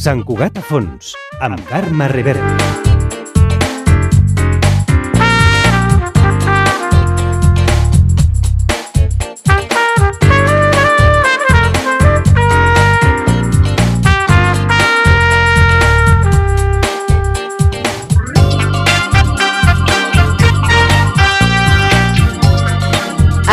Sant Cugat a fons, amb Carme Rivera.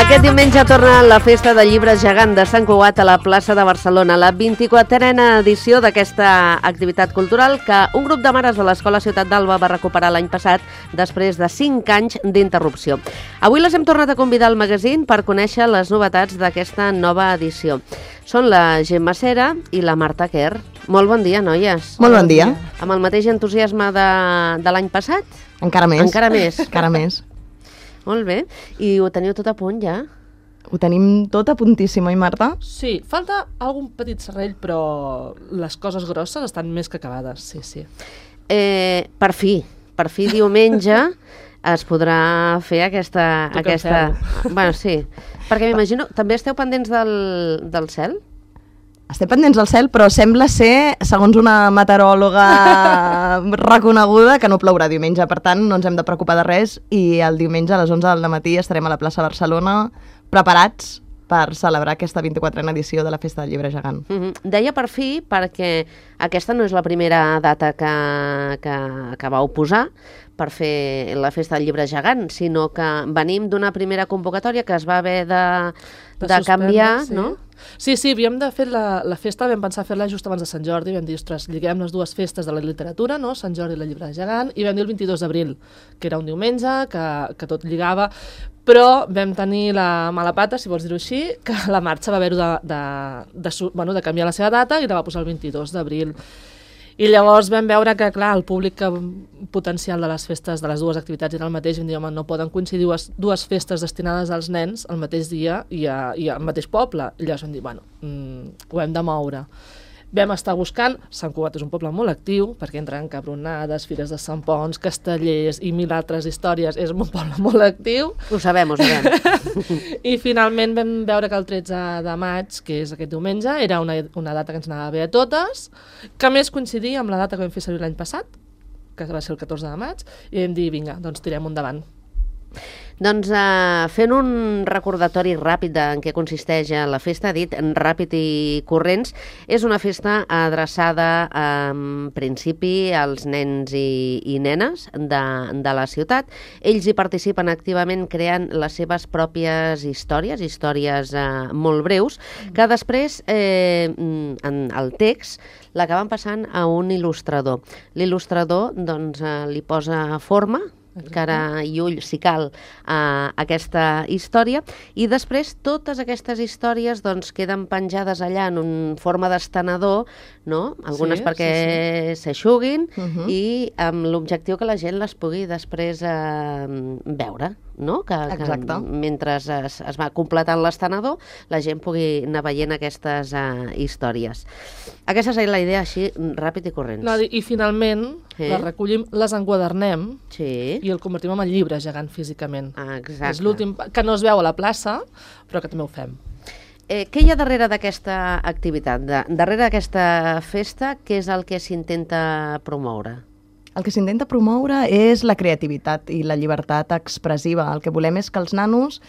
Aquest diumenge torna la Festa del Llibre Gegant de Sant Cugat a la plaça de Barcelona, la 24a edició d'aquesta activitat cultural que un grup de mares de l'Escola Ciutat d'Alba va recuperar l'any passat després de 5 anys d'interrupció. Avui les hem tornat a convidar al magazín per conèixer les novetats d'aquesta nova edició. Són la Gemma Cera i la Marta Quer. Molt bon dia, noies. Molt bon dia. Amb el mateix entusiasme de l'any passat? Encara més. Encara més. Encara més. Molt bé. I ho teniu tot a punt, ja? Ho tenim tot a puntíssim, oi, Marta? Sí, falta algun petit serrell, però les coses grosses estan més que acabades, sí, sí. Per fi diumenge es podrà fer aquesta... Bueno, sí, perquè m'imagino, també esteu pendents del cel? Estem pendents del cel, però sembla ser, segons una meteoròloga reconeguda, que no plourà diumenge. Per tant, no ens hem de preocupar de res i el diumenge a les 11 del matí estarem a la plaça Barcelona preparats per celebrar aquesta 24a edició de la Festa del Llibre Gegant. Deia per fi perquè aquesta no és la primera data que vau posar per fer la Festa del Llibre Gegant, sinó que venim d'una primera convocatòria que es va haver de canviar, sí. No? Sí, havíem de fer la festa, vam pensar fer-la just abans de Sant Jordi, vam dir, ostres, lliguem les dues festes de la literatura, no? Sant Jordi i la Llibre Gegant, i vam dir el 22 d'abril, que era un diumenge, que tot lligava, però vam tenir la mala pata, si vols dir-ho així, que la marxa va haver-ho de canviar la seva data i la va posar el 22 d'abril. I llavors vam veure que, clar, el públic potencial de les festes, de les dues activitats era el mateix, i vam dir, home, no poden coincidir dues festes destinades als nens el mateix dia i al mateix poble. I llavors vam dir, bueno, ho hem de moure. Vam estar buscant, Sant Cugat és un poble molt actiu, perquè entren cabronades, fires de Sant Ponç, castellers i 1000 altres històries, és un poble molt actiu. Ho sabem. I finalment vam veure que el 13 de maig, que és aquest diumenge, era una data que ens anava bé a totes, que a més coincidia amb la data que vam fer servir l'any passat, que va ser el 14 de maig, i vam dir, vinga, doncs tirem endavant. Doncs fent un recordatori ràpid en què consisteix la festa, dit ràpid i corrents, és una festa adreçada en principi als nens i nenes de la ciutat. Ells hi participen activament creant les seves pròpies històries molt breus, que després en el text l'acaben passant a un il·lustrador. L'il·lustrador doncs, li posa forma, cara i ull, si cal, a aquesta història, i després totes aquestes històries doncs, queden penjades allà en forma d'estenedor, no? Algunes perquè s'eixuguin i amb l'objectiu que la gent les pugui després veure, no? Que mentre es va completant l'estenedor la gent pugui anar veient aquestes històries. Aquesta és la idea així, ràpid i corrents. I finalment les recollim, les enquadernem i el convertim en el llibre gegant físicament. Exacte. És l'últim, que no es veu a la plaça, però que també ho fem. Què hi ha darrere d'aquesta activitat? Darrere d'aquesta festa, què és el que s'intenta promoure? El que s'intenta promoure és la creativitat i la llibertat expressiva. El que volem és que els nanos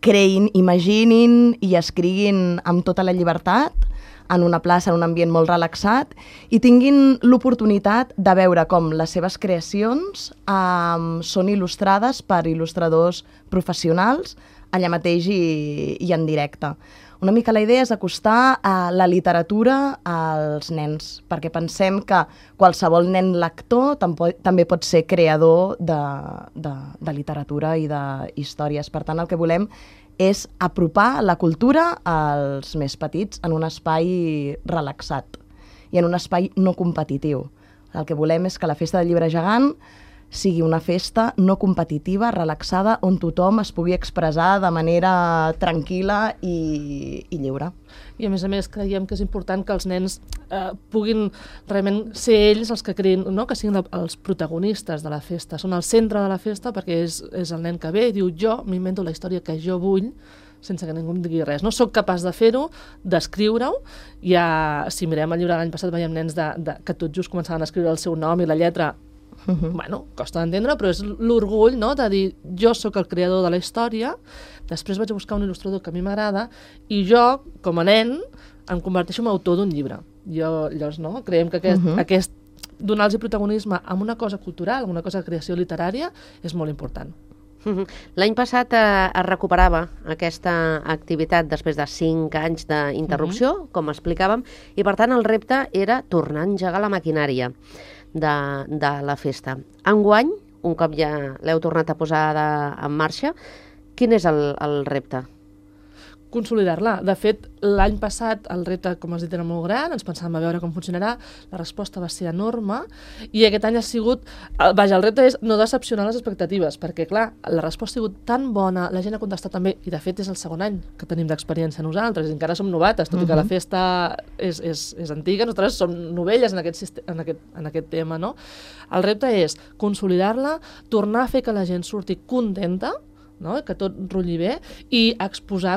creïn, imaginin i escriguin amb tota la llibertat en una plaça, en un ambient molt relaxat, i tinguin l'oportunitat de veure com les seves creacions són il·lustrades per il·lustradors professionals allà mateix i en directe. Una mica la idea és acostar la literatura als nens, perquè pensem que qualsevol nen lector també pot ser creador de literatura i d'històries. Per tant, el que volem és apropar la cultura als més petits en un espai relaxat i en un espai no competitiu. El que volem és que la Festa del Llibre Gegant sigui una festa no competitiva, relaxada, on tothom es pugui expressar de manera tranquil·la i lliure. I a més creiem que és important que els nens puguin realment ser ells els que creïn, no? Que siguin els protagonistes de la festa, són el centre de la festa perquè és el nen que ve i diu jo m'invento la història que jo vull sense que ningú em digui res. No sóc capaç de fer-ho, d'escriure-ho. Si mirem el llibre de l'any passat veiem nens que tot just començaven a escriure el seu nom i la lletra. Bueno, costa d'entendre, però és l'orgull, no?, de dir jo sóc el creador de la història, després vaig a buscar un il·lustrador que a mi m'agrada i jo, com a nen, em converteixo en autor d'un llibre. Llavors, no?, creiem que aquest donar-los protagonisme amb una cosa cultural, amb una cosa de creació literària, és molt important. L'any passat es recuperava aquesta activitat després de 5 anys d'interrupció, com explicàvem, i per tant el repte era tornar a engegar la maquinària de la festa. Enguany, un cop ja l'heu tornat a posar en marxa, quin és el repte? Consolidar-la. De fet, l'any passat el repte, com has dit, era molt gran, ens pensàvem a veure com funcionarà, la resposta va ser enorme i aquest any ha sigut... el repte és no decepcionar les expectatives, perquè, clar, la resposta ha sigut tan bona, la gent ha contestat també, i de fet és el segon any que tenim d'experiència nosaltres, i encara som novates, tot i que la festa és antiga, nosaltres som novelles en aquest tema, no? El repte és consolidar-la, tornar a fer que la gent surti contenta, no? Que tot rotlli bé, i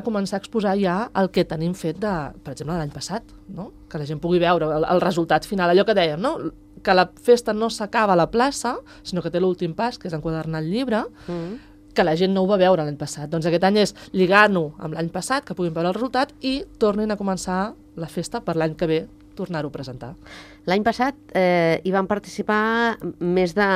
començar a exposar ja el que tenim fet per exemple, l'any passat, no? Que la gent pugui veure el resultat final, allò que dèiem, no? Que la festa no s'acaba a la plaça, sinó que té l'últim pas, que és enquadernar el llibre, que la gent no ho va veure l'any passat. Doncs aquest any és lligar-ho amb l'any passat, que puguin veure el resultat, i tornin a començar la festa per l'any que ve, tornar-ho a presentar. L'any passat hi van participar més de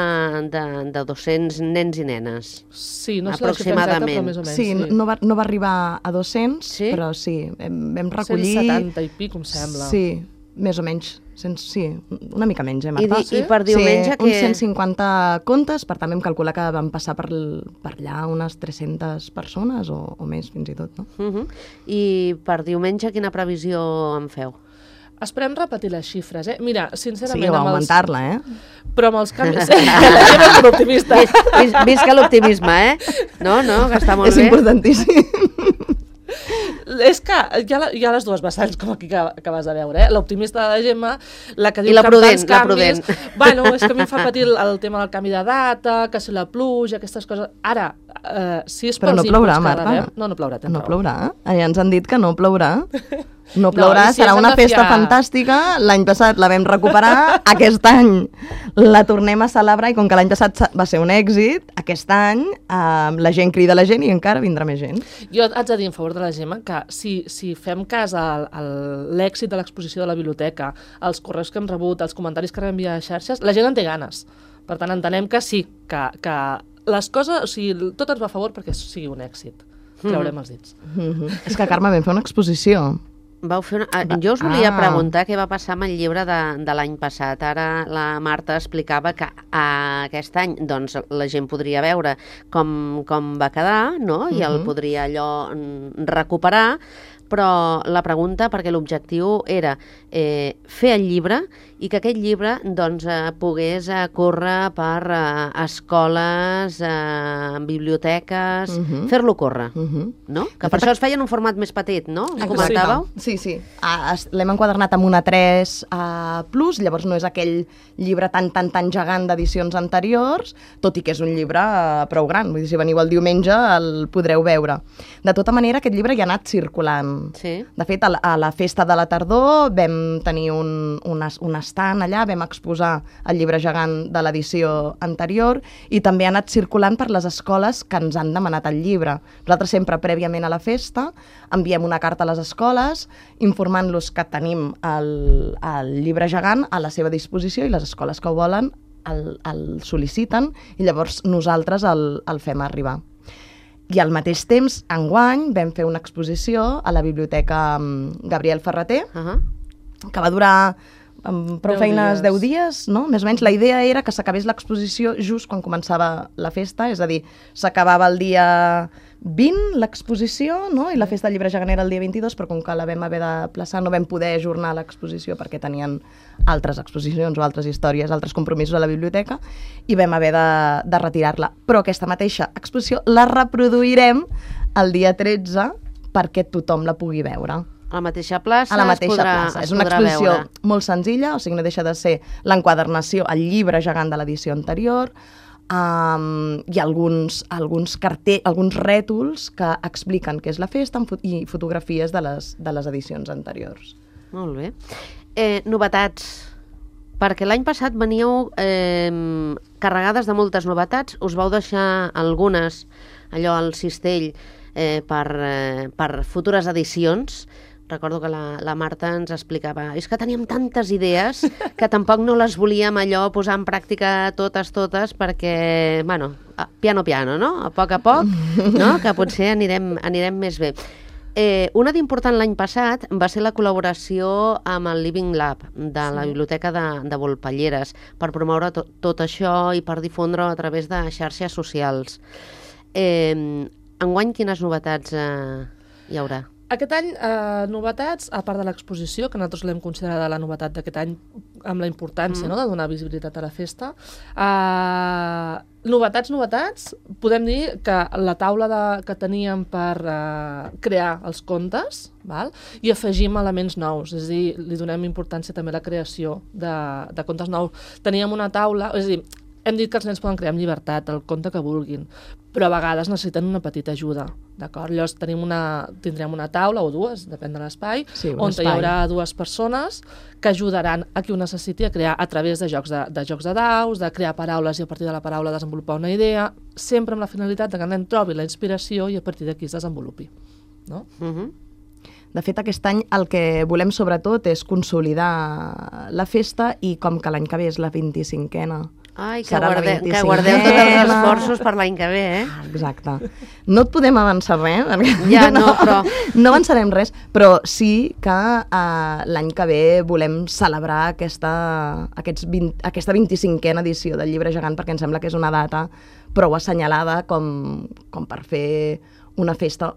200 nens i nenes. Sí, no sé aproximadament. Però més o menys. Sí, no va arribar a 200, però sí, vam recollir... 170 i pic, em sembla. Sí, més o menys. Sí, una mica menys, Marta? I per diumenge... Sí, uns 150 contes, per tant vam calcular que van passar per allà unes 300 persones o més, fins i tot, no? I per diumenge quina previsió en feu? Esperem repetir les xifres, eh? Mira, sincerament... Sí, o augmentar-la, Però amb els canvis... Era molt optimista. Visca l'optimisme, No, que està molt bé. És importantíssim. És que hi ha les dues vessants, com aquí que acabes de veure, l'optimista de la Gemma, la que diu la que prudent, amb tants canvis... Bueno, és que a mi em fa patir el tema del canvi de data, que si la pluja, aquestes coses... Ara, si és pels no plourà, Marta. No plourà. No plourà. Ja ens han dit que no plourà. No plourà, serà una festa fantàstica. L'any passat la vam recuperar, aquest any la tornem a celebrar i com que l'any passat va ser un èxit, aquest any la gent crida la gent i encara vindrà més gent. Jo haig de dir en favor de la Gemma que si fem cas a l'èxit de l'exposició de la biblioteca, els correus que hem rebut, els comentaris que rebem via xarxes, la gent en té ganes. Per tant, entenem que sí, que les coses, o sigui, tot ens va a favor perquè sigui un èxit. Creurem els dits. És que, Carme, vam fer una exposició. Jo us volia preguntar què va passar amb el llibre de l'any passat. Ara la Marta explicava que aquest any doncs, la gent podria veure com va quedar, no? I el podria allò recuperar, però la pregunta, perquè l'objectiu era fer el llibre i que aquest llibre doncs, pogués córrer per escoles, biblioteques, fer-lo córrer, no? Que per això es feia en un format més petit, no? Us comentàveu? Sí. L'hem enquadernat amb una 3 Plus, llavors no és aquell llibre tan gegant d'edicions anteriors, tot i que és un llibre prou gran, vull dir, si veniu el diumenge el podreu veure. De tota manera, aquest llibre ja ha anat circulant. Sí. De fet, a la festa de la tardor vam tenir un estant allà, vam exposar el llibre gegant de l'edició anterior i també ha anat circulant per les escoles que ens han demanat el llibre. Nosaltres sempre, prèviament a la festa, enviem una carta a les escoles informant-los que tenim el llibre gegant a la seva disposició i les escoles que ho volen el sol·liciten i llavors nosaltres el fem arribar. I al mateix temps, enguany, vam fer una exposició a la Biblioteca Gabriel Ferrater, que va durar prou feines 10 dies, no? Més o menys la idea era que s'acabés l'exposició just quan començava la festa, és a dir, s'acabava el dia 20 l'exposició, no? I la festa del llibre gegant era el dia 22, però com que la vam haver de plaçar no vam poder ajornar l'exposició perquè tenien altres exposicions o altres històries, altres compromisos a la biblioteca, i vam haver de retirar-la. Però aquesta mateixa exposició la reproduirem el dia 13 perquè tothom la pugui veure. A la mateixa plaça, A la mateixa plaça. És una exposició molt senzilla, o sigui, no deixa de ser l'enquadernació, el llibre gegant de l'edició anterior. Hi ha alguns rètols que expliquen què és la festa i fotografies de les edicions anteriors. Molt bé. Novetats. Perquè l'any passat veníeu carregades de moltes novetats, us vau deixar algunes, allò al cistell, per futures edicions. Recordo que la Marta ens explicava és que teníem tantes idees que tampoc no les volíem allò posar en pràctica totes, perquè, bueno, piano, no? A poc, no? Que potser anirem més bé. Una d'important l'any passat va ser la col·laboració amb el Living Lab de la Biblioteca de Volpelleres per promoure tot això i per difondre a través de xarxes socials. Enguany, quines novetats hi haurà? Aquest any, novetats, a part de l'exposició, que nosaltres l'hem considerat la novetat d'aquest any amb la importància de donar visibilitat a la festa. Novetats, podem dir que la taula que teníem per crear els contes, i afegim elements nous, és a dir, li donem importància també a la creació de contes nous. Teníem una taula, és a dir, hem dit que els nens poden crear amb llibertat el conte que vulguin, però a vegades necessiten una petita ajuda, d'acord? Llavors tindrem una taula o dues, depèn de l'espai, on hi haurà dues persones que ajudaran a qui ho necessiti a crear a través de jocs de daus, de crear paraules i a partir de la paraula desenvolupar una idea, sempre amb la finalitat que el nen trobi la inspiració i a partir d'aquí es desenvolupi. No? De fet, aquest any el que volem sobretot és consolidar la festa i com que l'any que ve és la 25a. Ai, que guardeu tots els esforços per l'any que ve, Exacte. No et podem avançar res, ja, no, però... no avançarem res, però sí que l'any que ve volem celebrar aquesta 25a edició del Llibre Gegant perquè ens sembla que és una data prou assenyalada com per fer una festa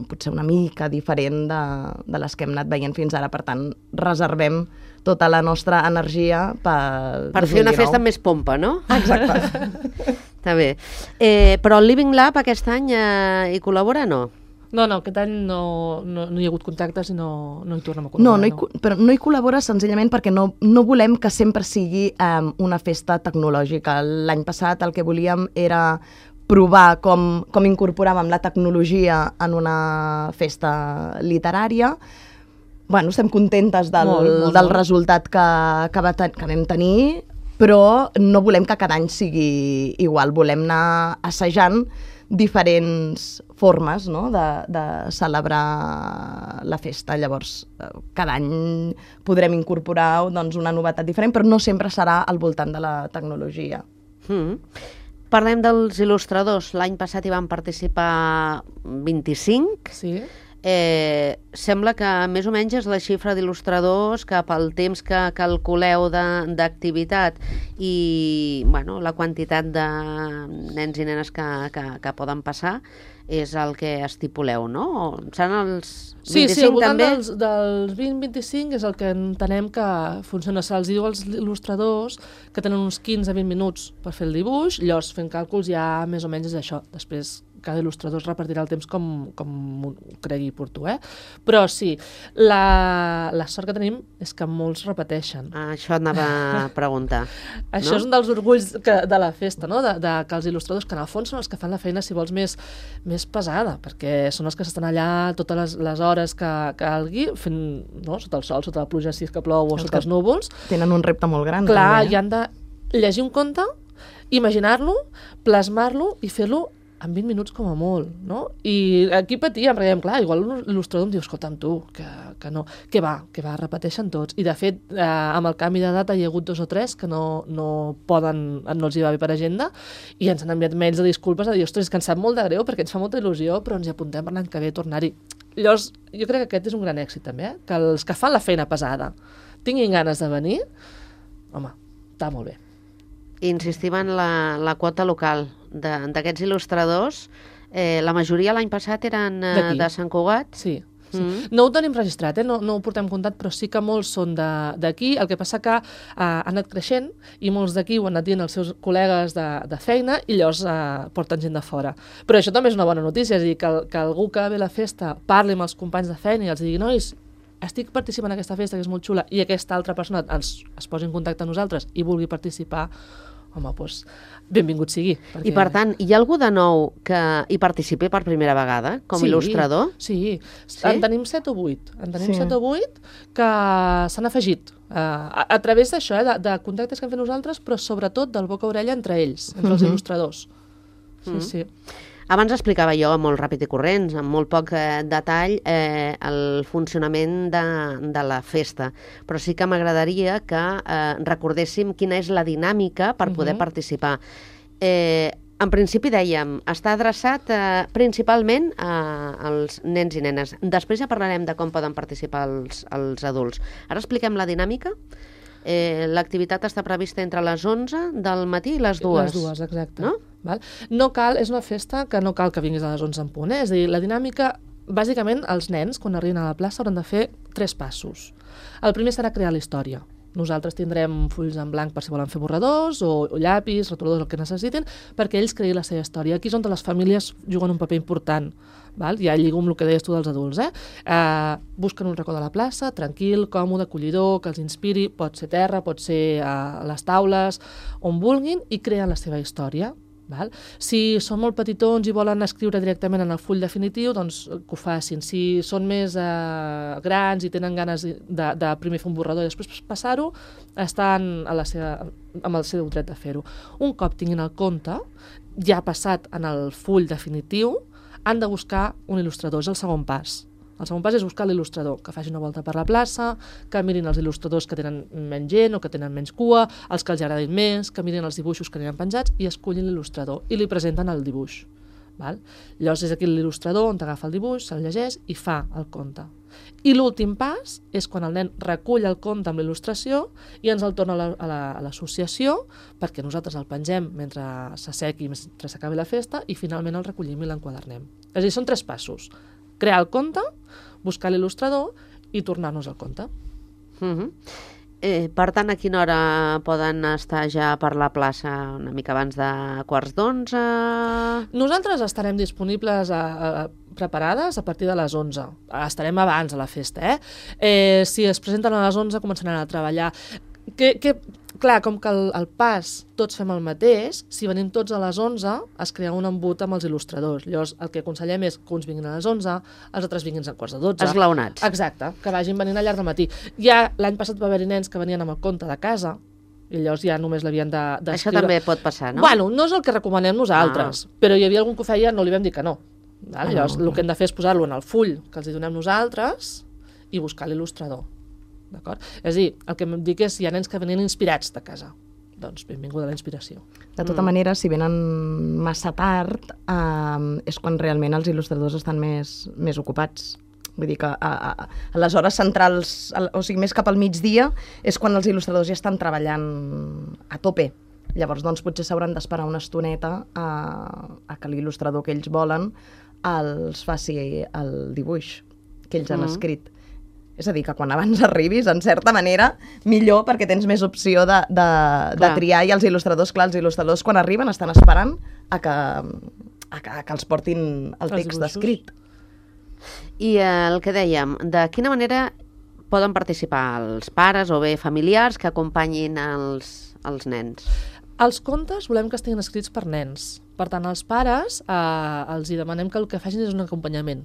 potser una mica diferent de les que hem anat veient fins ara. Per tant, reservem tota la nostra energia per fer una festa amb més pompa, no? Exacte. Està bé. Però el Living Lab aquest any hi col·labora o no? No, aquest any no hi ha hagut contactes i no hi tornem a col·laborar. Però no hi col·labora senzillament perquè no volem que sempre sigui una festa tecnològica. L'any passat el que volíem era provar com incorporàvem la tecnologia en una festa literària. Estem contentes del resultat que vam tenir, però no volem que cada any sigui igual. Volem anar assajant diferents formes de celebrar la festa. Llavors, cada any podrem incorporar una novetat diferent, però no sempre serà al voltant de la tecnologia. Parlem dels il·lustradors. L'any passat hi van participar 25. Sí. Sembla que més o menys és la xifra d'il·lustradors que pel temps que calculeu d'activitat i la quantitat de nens i nenes que poden passar és el que estipuleu, no? Seran els 25 sí, al voltant també? dels 20-25 és el que entenem que funciona. Se'ls diu als il·lustradors que tenen uns 15-20 minuts per fer el dibuix, llavors fent càlculs ja més o menys és això. Després cada il·lustrador es repartirà el temps com cregui oportú, Però sí, la sort que tenim és que molts repeteixen. Això anava a preguntar. Això és un dels orgulls de la festa, no? Que els il·lustradors, que en el fons són els que fan la feina, si vols, més pesada, perquè són els que estan allà totes les hores que calgui, fent, sota el sol, sota la pluja, si és que plou, o sota els núvols. Tenen un repte molt gran. Clar, també, i han de llegir un conte, imaginar-lo, plasmar-lo i fer-lo en 20 minuts com a molt, no? I aquí patíem, perquè clar, igual l'il·lustrador em diu, escolta'm tu, que no, que va, repeteixen tots. I de fet, amb el canvi de data hi ha hagut 2 o 3 que no poden, no els hi va bé per agenda, i ens han enviat mails de disculpes a dir, ostres, és que ens sap molt de greu perquè ens fa molta il·lusió, però ens hi apuntem per l'any que ve tornar-hi. Llavors, jo crec que aquest és un gran èxit també, que els que fan la feina pesada tinguin ganes de venir, home, està molt bé. Insistim en la quota local d'aquests il·lustradors. La majoria l'any passat eren D'aquí. de Sant Cugat. Sí. No ho tenim registrat, no ho portem comptat, però sí que molts són d'aquí. El que passa que ha anat creixent i molts d'aquí ho han anat dient els seus col·legues de feina i llavors porten gent de fora. Però això també és una bona notícia, és a dir, que algú que ve a la festa parli amb els companys de feina i els digui, nois, estic participant en aquesta festa que és molt xula, i aquesta altra persona es posi en contacte amb nosaltres i vulgui participar, home, doncs benvingut sigui. I per tant, hi ha algú de nou que hi participi per primera vegada, com a il·lustrador? Sí, en tenim 7 o 8. En tenim 7 o 8 que s'han afegit a través d'això, de contactes que hem fet nosaltres, però sobretot del boca a orella entre ells, entre els il·lustradors. Sí. Abans explicava jo, molt ràpid i corrents, amb molt poc detall, el funcionament de la festa. Però sí que m'agradaria que recordéssim quina és la dinàmica per poder participar. En principi dèiem, està adreçat principalment als nens i nenes. Després ja parlarem de com poden participar els adults. Ara expliquem la dinàmica. L'activitat està prevista entre les 11 del matí i les 2. Les 2, exacte. No cal, és una festa que no cal que vinguis a les 11 en punt. És a dir, la dinàmica, bàsicament, els nens, quan arriben a la plaça, hauran de fer 3 passos. El primer serà crear la història. Nosaltres tindrem fulls en blanc per si volen fer borradors o llapis, rotuladors, el que necessitin, perquè ells creïn la seva història. Aquí és on les famílies juguen un paper important. Ja lligo amb el que deies tu dels adults. Busquen un racó de la plaça, tranquil, còmode, acollidor, que els inspiri, pot ser terra, pot ser a les taules, on vulguin, i creen la seva història. Si són molt petitons i volen escriure directament en el full definitiu, doncs que ho facin. Si són més grans i tenen ganes de primer fer un borrador i després passar-ho, estan amb el seu dret de fer-ho. Un cop tinguin el conte, ja passat en el full definitiu, han de buscar un il·lustrador, és el segon pas. El segon pas és buscar l'il·lustrador, que faci una volta per la plaça, que mirin els il·lustradors que tenen menys gent o que tenen menys cua, els que els agradin més, que mirin els dibuixos que aniran penjats i escullin l'il·lustrador i li presenten el dibuix. Llavors és aquí l'il·lustrador on agafa el dibuix, se'l llegeix i fa el conte. I l'últim pas és quan el nen recull el conte amb l'il·lustració i ens el torna a l'associació perquè nosaltres el pengem mentre s'assequi, mentre s'acabi la festa, i finalment el recollim i l'enquadernem. És a dir, són 3 passos. Crear el conte, buscar l'il·lustrador i tornar-nos el conte. Per tant, a quina hora poden estar ja per la plaça? Una mica abans de 11:15? Nosaltres estarem disponibles preparades a partir de les 11. Estarem abans a la festa, Si es presenten a les 11 començaran a treballar. Clar, com que el pas tots fem el mateix, si venim tots a les 11 es crea un embut amb els il·lustradors. Llavors el que aconsellem és que uns vinguin a les 11, els altres vinguin a 11:45. Esglaonats. Exacte, que vagin venint al llarg del matí. Ja l'any passat va haver-hi nens que venien amb el conte de casa i llavors ja només l'havien d'escriure. Això també pot passar, no? Bueno, no és el que recomanem nosaltres, però hi havia algun que ho feia, no li vam dir que no. Llavors el que hem de fer és posar-lo en el full que els hi donem nosaltres i buscar l'il·lustrador. D'acord? És a dir, el que em dic és hi ha nens que venen inspirats de casa. Doncs benvinguda la inspiració. De tota manera, si venen massa tard, és quan realment els il·lustradors estan més ocupats. Vull dir que a les hores centrals, o sigui, més cap al migdia, és quan els il·lustradors ja estan treballant a tope. Llavors, doncs, potser s'hauran d'esperar una estoneta a que l'il·lustrador que ells volen els faci el dibuix que ells han escrit. És a dir, que quan abans arribis, en certa manera, millor, perquè tens més opció de triar, i els il·lustradors, clar, els il·lustradors quan arriben estan esperant a que els portin el text escrit. I el que dèiem, de quina manera poden participar els pares o bé familiars que acompanyin els nens? Els contes volem que estiguin escrits per nens. Per tant, als pares els hi demanem que el que facin és un acompanyament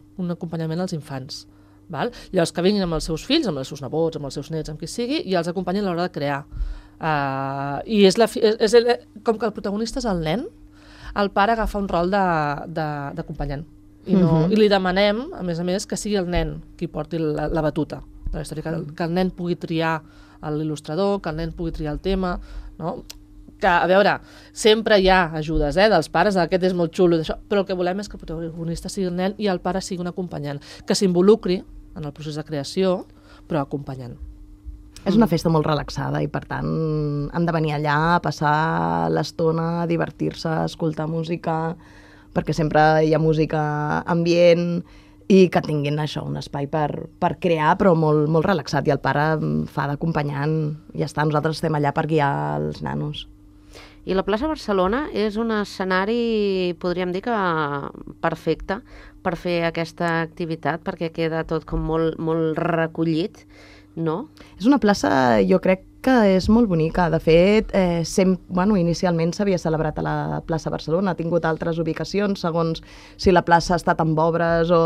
als infants. Llavors que vinguin amb els seus fills, amb els seus nebots, amb els seus nets, amb qui sigui, i els acompanyin a l'hora de crear. I com que el protagonista és el nen, el pare agafa un rol d'acompanyant. I li demanem, a més, que sigui el nen qui porti la batuta de la història, que el nen pugui triar l'il·lustrador, que el nen pugui triar el tema, no? Que, a veure, sempre hi ha ajudes dels pares, aquest és molt xulo, però el que volem és que el protagonista sigui el nen i el pare sigui un acompanyant, que s'involucri en el procés de creació, però acompanyant. És una festa molt relaxada i, per tant, han de venir allà a passar l'estona, a divertir-se, a escoltar música, perquè sempre hi ha música ambient i que tinguin això, un espai per crear, però molt relaxat. I el pare fa d'acompanyant, i ja està, nosaltres estem allà per guiar els nanos. I la plaça Barcelona és un escenari, podríem dir que perfecte per fer aquesta activitat, perquè queda tot com molt recollit, no? És una plaça, jo crec que és molt bonica. De fet, inicialment s'havia celebrat a la plaça Barcelona, ha tingut altres ubicacions, segons si la plaça ha estat amb obres o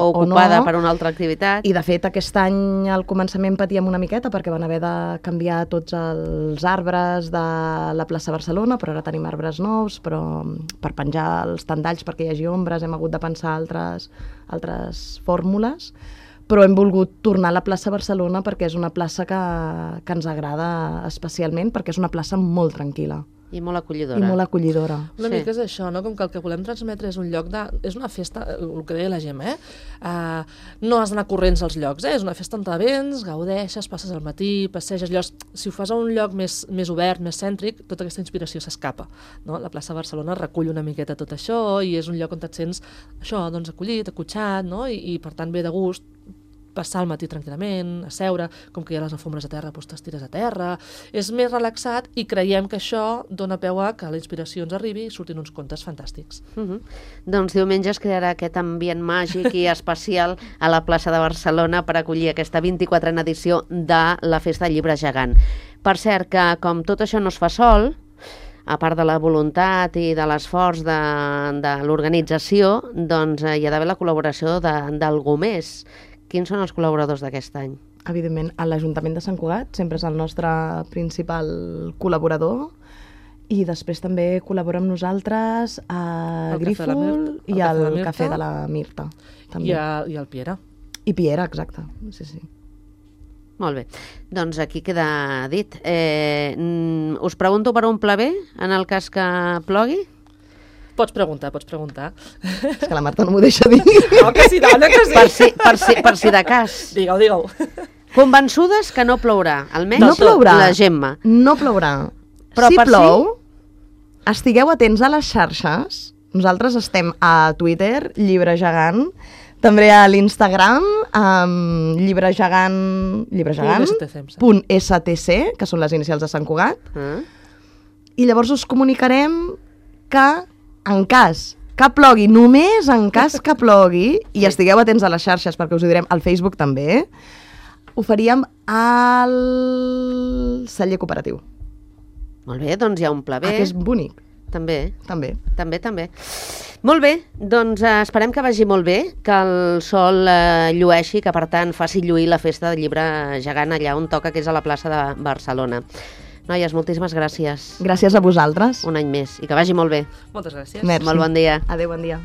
ocupada no. Per una altra activitat. I de fet aquest any al començament patíem una miqueta perquè van haver de canviar tots els arbres de la plaça Barcelona, però ara tenim arbres nous, però per penjar els tendalls perquè hi hagi ombres hem hagut de pensar altres fórmules. Però hem volgut tornar a la plaça Barcelona perquè és una plaça que ens agrada especialment, perquè és una plaça molt tranquil·la. I molt acollidora. I molt acollidora. Una mica és això, no? Com que el que volem transmetre és un lloc de... És una festa, el que deia la Gemma, no has d'anar corrents als llocs, és una festa on te vens, gaudeixes, passes al matí, passeges llocs... Si ho fas a un lloc més obert, més cèntric, tota aquesta inspiració s'escapa, no? La plaça Barcelona recull una miqueta tot això i és un lloc on et sents això, doncs, acollit, acotxat, no? I per tant ve de gust passar el matí tranquil·lament, a seure, com que hi ha les alfombres a terra, doncs t'estires a terra. És més relaxat i creiem que això dona peu a que la inspiració ens arribi i surtin uns contes fantàstics. Doncs diumenge es crearà aquest ambient màgic i especial a la plaça de Barcelona per acollir aquesta 24a edició de la Festa del Llibre Gegant. Per cert, que com tot això no es fa sol, a part de la voluntat i de l'esforç de l'organització, doncs hi ha d'haver la col·laboració d'algú més. Quins són els col·laboradors d'aquest any? Evidentment, l'Ajuntament de Sant Cugat sempre és el nostre principal col·laborador i després també col·labora amb nosaltres a Grífol i al Cafè de la Mirta. I el Piera. I Piera, exacte. Sí. Molt bé. Doncs aquí queda dit. Us pregunto per un pla B, en el cas que plogui? Pots preguntar. És que la Marta no m'ho deixa dir. No, que sí, dona, que sí. Per si de cas. Digue-ho. Convençudes que no plourà, almenys no plourà. La Gemma. No plourà. Però si plou, estigueu atents a les xarxes. Nosaltres estem a Twitter, Llibre Gegant, també a l'Instagram, llibregegant.stc, que són les inicials de Sant Cugat. I llavors us comunicarem que en cas que plogui, només en cas que plogui, i estigueu atents a les xarxes perquè us ho direm, al Facebook també, ho faríem al celler cooperatiu. Molt bé, doncs hi ha un pla B. Que és bonic. També. També. Molt bé, doncs esperem que vagi molt bé, que el sol llueixi, que per tant faci lluir la Festa del Llibre Gegant allà on toca, que és a la plaça de Barcelona. Noies, moltíssimes gràcies. Gràcies a vosaltres. Un any més. I que vagi molt bé. Moltes gràcies. Merci. Molt bon dia. Adéu, bon dia.